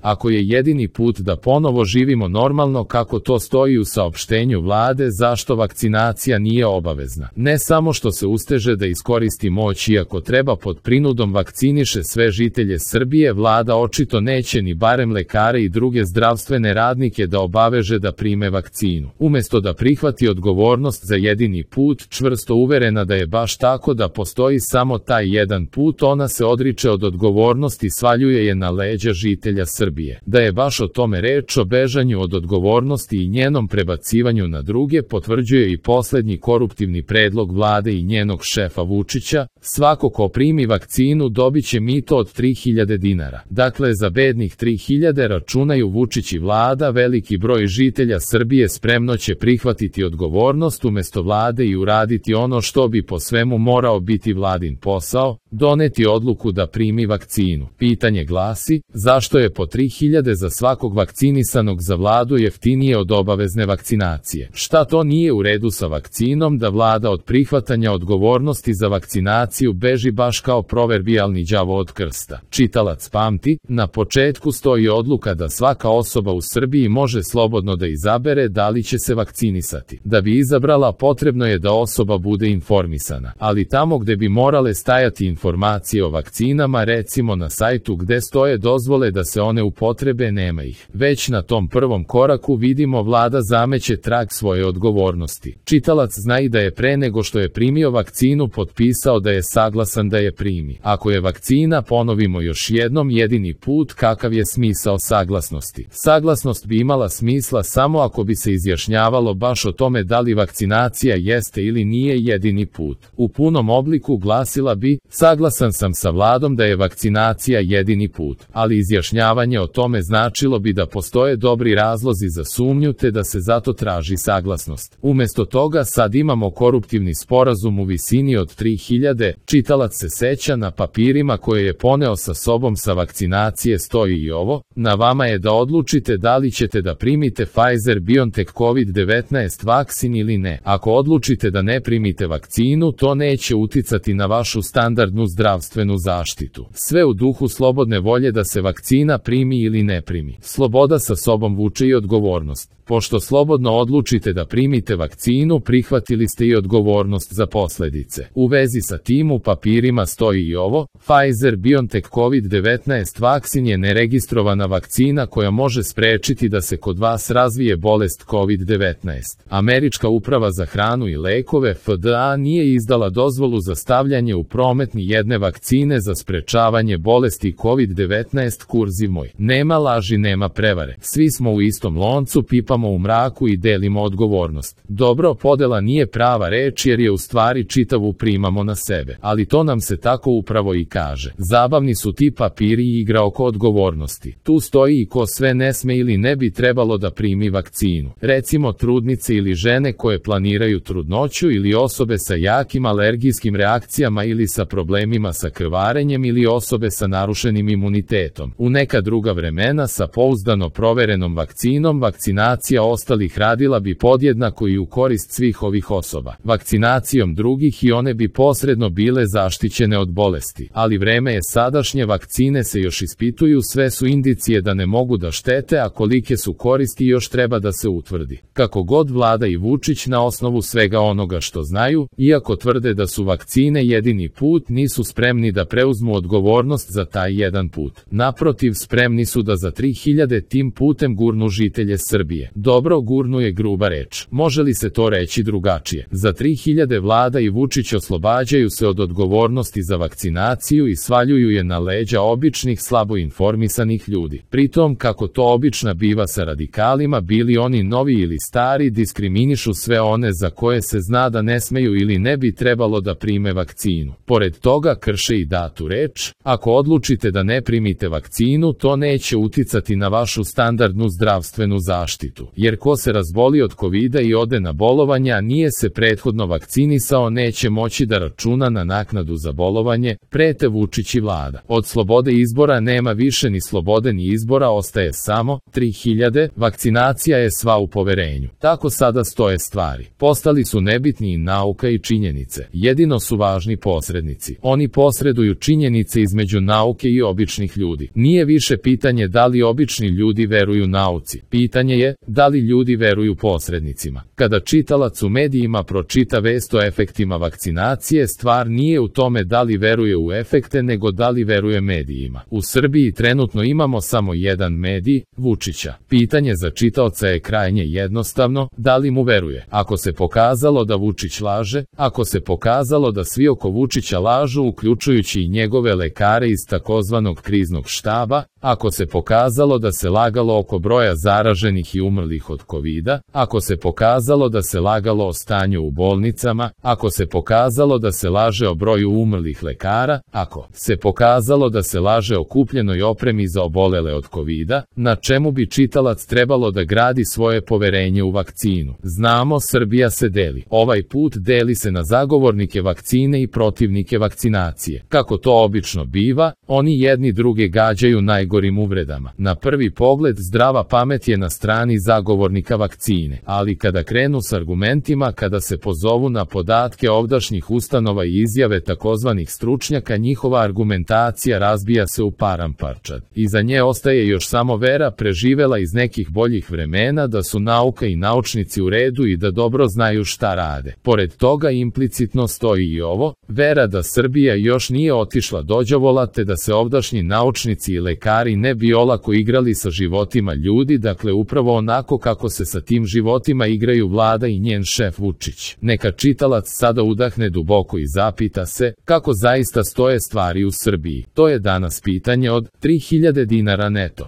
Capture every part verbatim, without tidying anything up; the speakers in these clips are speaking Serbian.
Ako je jedini put da ponovo živimo normalno kako to stoji u saopštenju vlade, zašto vakcinacija nije obavezna? Ne samo što se usteže da iskoristi moć iako treba pod prinudom vakciniše sve žitelje Srbije, vlada očito neće ni barem lekare i druge zdravstvene radnike da obaveže da prime vakcinu. Umesto da prihvati odgovornost za jedini put, čvrsto uverena da je baš tako, da postoji samo taj jedan put, ona se odriče od odgovornosti i svaljuje je na leđa žitelja Srbije. Da je baš o tome reč, o bežanju od odgovornosti i njenom prebacivanju na druge, potvrđuje i poslednji koruptivni predlog vlade i njenog šefa Vučića: svako ko primi vakcinu dobiće mito od tri hiljade dinara. Dakle, za bednih tri hiljade, računaju Vučić i vlada, veliki broj žitelja Srbije spremno će prihvatiti odgovornost umesto vlade i uraditi ono što bi po svemu morao biti vladin posao, doneti odluku da primi vakcinu. Pitanje glasi: zašto je po tri hiljade za svakog vakcinisanog za vladu jeftinije od obavezne vakcinacije? Šta to nije u redu sa vakcinom da vlada od prihvatanja odgovornosti za vakcinaciju beži baš kao proverbijalni đavo od krsta? Čitalac pamti, na početku stoji odluka da svaka osoba u Srbiji može slobodno da izabere da li će se vakcinisati. Da bi izabrala, potrebno je da osoba bude informisana, ali tamo gde bi morale stajati informacije o vakcinama, recimo na sajtu gde stoje dozvole da se one upotrebe, nema ih. Već na tom prvom koraku vidimo vlada zameće trag svoje odgovornosti. Čitalac zna i da je pre nego što je primio vakcinu potpisao da je saglasan da je primi. Ako je vakcina, ponovimo još jednom, jedini put, kakav je smisao saglasnosti? Saglasnost bi imala smisla samo ako bi se izjašnjavalo baš o tome da li vakcinacija jeste ili nije jedini put. U punom obliku glasila bi: saglasan sam sa vladom da je vakcinacija jedini put, ali izjašnjavanje o tome značilo bi da postoje dobri razlozi za sumnju te da se zato traži saglasnost. Umesto toga sad imamo koruptivni sporazum u visini od tri hiljade. Čitalac se seća, na papirima koje je poneo sa sobom sa vakcinacije stoji i ovo: na vama je da odlučite da li ćete da primite Pfizer-BioNTech kovid devetnaest vakcin ili ne. Ako odlučite da ne primite vakcinu, to neće uticati na vašu standardnu zdravstvenu zaštitu. Sve u duhu slobodne volje da se vakcina primi ili ne primi. Sloboda sa sobom vuče i odgovornost. Pošto slobodno odlučite da primite vakcinu, prihvatili ste i odgovornost za posledice. U vezi sa tim u papirima stoji i ovo: Pfizer-BioNTech kovid devetnaest vakcin je neregistrovana vakcina koja može sprečiti da se kod vas razvije bolest kovid devetnaest. Američka uprava za hranu i lekove F D A nije izdala dozvolu za stavljanje u promet ni jedne vakcine za sprečavanje bolesti kovid devetnaest. Kurziv moj. Nema laži, nema prevare. Svi smo u istom loncu, pipamo u mraku i delimo odgovornost. Dobro, podela nije prava reč jer je u stvari čitavu primamo na sebe, ali to nam se tako upravo i kaže. Zabavni su ti papiri i igra oko odgovornosti. Tu stoji i ko sve ne sme ili ne bi trebalo da primi vakcinu. Recimo trudnice ili žene koje planiraju trudnoću ili osobe sa jakim alergijskim reakcijama ili sa problemima sa krvarenjem ili osobe sa narušenim imunitetom. U neka druga vremena sa pouzdano proverenom vakcinom vakcinacija ostalih radila bi podjednako i u korist svih ovih osoba. Vakcinacijom drugih i one bi posredno bile zaštićene od bolesti. Ali vreme je sadašnje, vakcine se još ispituju, sve su indicije da ne mogu da štete, a kolike su koristi još treba da se utvrdi. Kako god vlada i Vučić na osnovu svega onoga što znaju, iako tvrde da su vakcine jedini put, nisu spremni da preuzmu odgovornost za taj jedan put. Naprotiv, spremni su da za tri hiljade tim putem gurnu žitelje Srbije. Dobro, gurnu je gruba reč. Može li se to reći drugačije? Za tri hiljade vlada i Vučić oslobađaju se od odgovornosti za vakcinaciju i svaljuju je na leđa običnih, slabo informisanih ljudi. Pritom, kako to obična biva sa radikalima, bili oni novi ili stari, diskriminišu sve one za koje se zna da ne smeju ili ne bi trebalo da prime vakcinu. Pored toga, krše i datu reč: ako odlučite da ne primite vakcinu, to neće uticati na vašu standardnu zdravstvenu zaštitu. Jer ko se razboli od kovida i ode na bolovanje, a nije se prethodno vakcinisao, neće moći da računa na naknadu za bolovanje, prete Vučić i vlada. Od slobode izbora nema više ni slobode ni izbora, ostaje samo tri hiljade. Vakcinacija je sva u poverenju. Tako sada stoje stvari. Postali su nebitni i nauka i činjenice. Jedino su važni posrednici. Oni posreduju činjenice između nauke i običnih ljudi. Nije više pitanje da li obični ljudi veruju nauci. Pitanje je da li ljudi veruju posrednicima. Kada čitalac u medijima pročita vest o efektima vakcinacije, stvar nije u tome da li veruje u efekte, nego da li veruje medijima. U Srbiji trenutno imamo samo jedan medij, Vučića. Pitanje za čitaoca je krajnje jednostavno, da li mu veruje. Ako se pokazalo da Vučić laže, ako se pokazalo da svi oko Vučića lažu, uključujući i njegove lekare iz takozvanog kriznog štaba, ako se pokazalo da se lagalo oko broja zaraženih i umrlih od kovida, ako se pokazalo da se lagalo o stanju u bolnicama, ako se pokazalo da se laže o broju umrlih lekara, ako se pokazalo da se laže o kupljenoj opremi za obolele od kovida, na čemu bi čitalac trebalo da gradi svoje poverenje u vakcinu? Znamo, Srbija se deli. Ovaj put deli se na zagovornike vakcine i protivnike vakcinacije. Kako to obično biva, oni jedni druge gađaju najgorim uvredama. Na prvi pogled zdrava pamet je na strani zagovornika vakcine, ali kada krenu s argumentima, kada se pozovu na podatke ovdašnjih ustanova i izjave takozvanih stručnjaka, njihova argumentacija razbija se u paramparčad. Iza nje ostaje još samo vera preživela iz nekih boljih vremena da su nauka i naučnici u redu i da dobro znaju šta rade. Pored toga implicitno stoji i ovo, vera da Srbija još nije otišla dođavola, te da se ovdašnji naučnici i lekari ne bi olako igrali sa životima ljudi, dakle upravo onako kako se sa tim životima igraju vlada i njen šef Vučić. Neka čitalac sada udahne duboko i zapita se kako zaista stoje stvari u Srbiji. To je danas pitanje od tri hiljade dinara neto.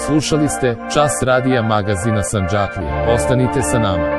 Slušali ste Čas radija magazina Sandžaklija. Ostanite sa nama.